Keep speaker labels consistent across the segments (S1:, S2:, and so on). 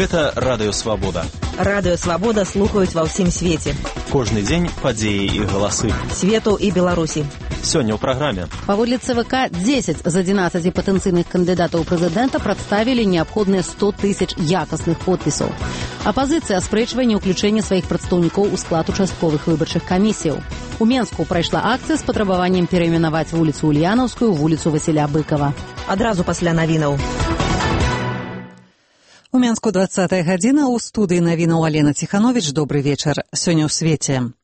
S1: Гэта Радыё Свабода.
S2: Радыё Свабода слухаюць ва ўсім свеце.
S1: Кожны дзень падзеі і галасы.
S2: Свету і Беларусі.
S1: Сёння ў праграме.
S3: Паводле ЦВК, 10 з 11 патэнцыйных кандыдатаў прэзідэнта прадставілі неабходныя 100 тысяч якасных подпісаў. Апазіцыя аспрэчвае неўключэнне сваіх прадстаўнікоў у склад участковых выбарчых камісіяў. У Менску прайшла акцыя з патрабаваннем перайменаваць вуліцу Ульянаўскую ў вуліцу Васіля Быкава.
S2: Адразу пасля навінаў.
S4: У Менску 20-я гадзіна, у студыі навінаў Алена Ціхановіч. Добры вечар. Сёння ў свеце.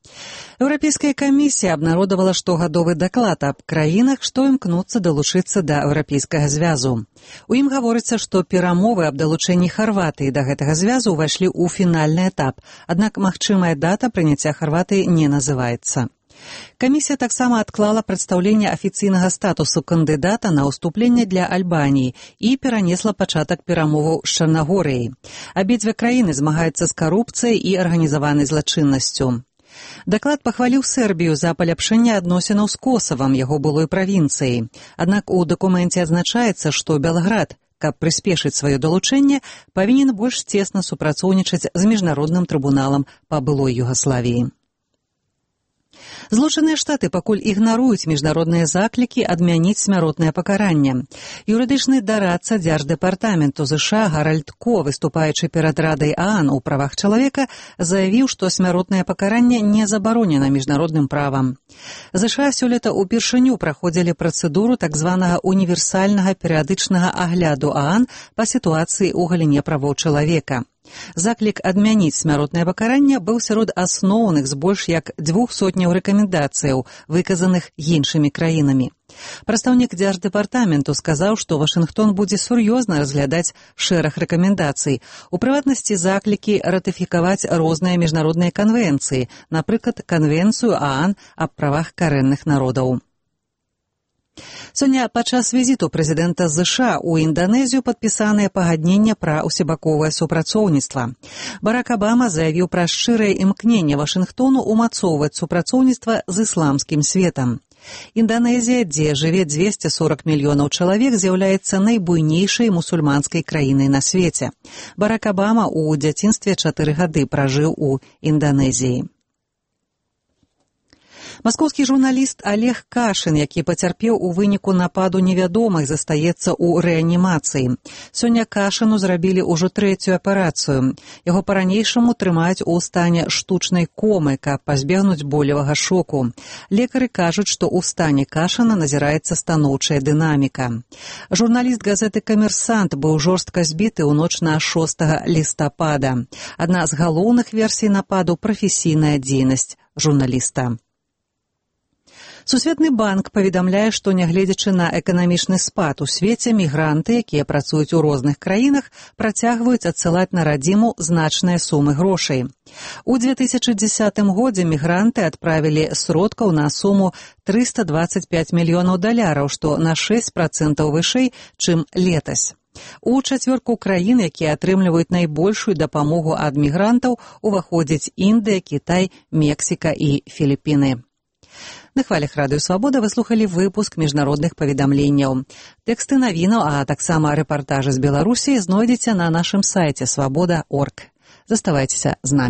S4: Еўрапейская камісія абнародавала штогадовы даклад аб краінах, што імкнуцца далучыцца да Еўрапейскага звязу. У ім гаворыцца, што перамовы аб далучэнні Харватыі да гэтага звязу ўвайшлі ў фінальны этап, аднак магчымая дата прыняцця Харватыі не называецца. Камісія таксама адклала прадстаўленне афіцыйнага статусу кандыдата на ўступленне для Альбаніі і перанесла пачатак перамоваў з Чарнагорыяй. Абедзве краіны змагаюцца з карупцыяй і арганізаванай злачыннасцю. Даклад пахваліў Сербію за паляпшэнне адносінаў з Косавам, яго былой правінцыяй. Аднак у дакуменце адзначаецца, што Белград, каб прыспешыць сваё далучэнне, павінен больш цесна супрацоўнічаць з міжнародным трыбуналам па былой Югаславіі. Злучаныя Штаты пакуль ігнаруюць міжнародныя заклікі адмяніць смяротнае пакаранне. Юрыдычны дарадца Дзярждэпартаменту ЗША Гаральд Ко, выступаючы перад Радай ААН у правах чалавека, заявіў, што смяротнае пакаранне не забаронена міжнародным правам. ЗША сёлета ўпершыню праходзілі працэдуру так званага універсальнага перыядычнага агляду ААН па сітуацыі ў галіне правоў чалавека. Заклік адмяніць смяротнае пакаранне быў сярод асноўных з больш як 200 рэкамендацыяў, выказаных іншымі краінамі. Прадстаўнік Дзярждэпартаменту сказаў, што Вашынгтон будзе сур'ёзна разглядаць шэраг рэкамендацый, у прыватнасці заклікі ратыфікаваць розныя міжнародныя канвенцыі, напрыклад, канвенцыю ААН аб правах карэнных народаў. Сёння падчас візіту прэзідэнта ЗША ў Інданезію падпісаныя пагаднення пра ўсебаковае супрацоўніцтва. Барак Абама заявіў пра шчырае імкненне Вашынгтону ўмацоўваць супрацоўніцтва з ісламскім светам. Інданезія, дзе жыве 240 мільёнаў чалавек, з'яўляецца найбуйнейшай мусульманскай краінай на свеце. Барак Абама ў дзяцінстве 4 гады пражыў у Інданезіі. Маскоўскі журналіст Олег Кашын, які пацярпеў у выніку нападу невядомых, застаецца ў рэанімацыі. Сёння Кашыну зрабілі ўжо 3-ю аперацыю. Яго па-ранейшаму трымаюць у стане штучнай комы, каб пазбегнуць болевага шоку. Лекары кажуць, што ў стане Кашына назіраецца станоўчая дынаміка. Журналіст газеты «Камерсант» быў жорстка збіты ў ноч на 6 лістапада. Адна з галоўных версій нападу – прафесійная дзейнасць журналіста. Сусветны банк паведамляе, што нягледзячы на эканамічны спад у свеце, мігранты, якія працуюць у розных краінах, працягваюць адсылаць на радзіму значныя сумы грошай. У 2010 годзе мігранты адправілі сродкаў на суму $325 мільёнаў, што на 6% вышэй, чым летась. У чацвёрку краін, якія атрымліваюць найбольшую дапамогу ад мігрантаў, уваходзяць Індыя, Кітай, Мексіка і Філіпіны. На хвалях Радыё Свабода вы слухалі выпуск міжнародных паведамленняў. Тэксты навінаў, а таксама рэпартажы з Беларусі знойдзеце на нашым сайце свабода.орг. Заставайцеся з намі.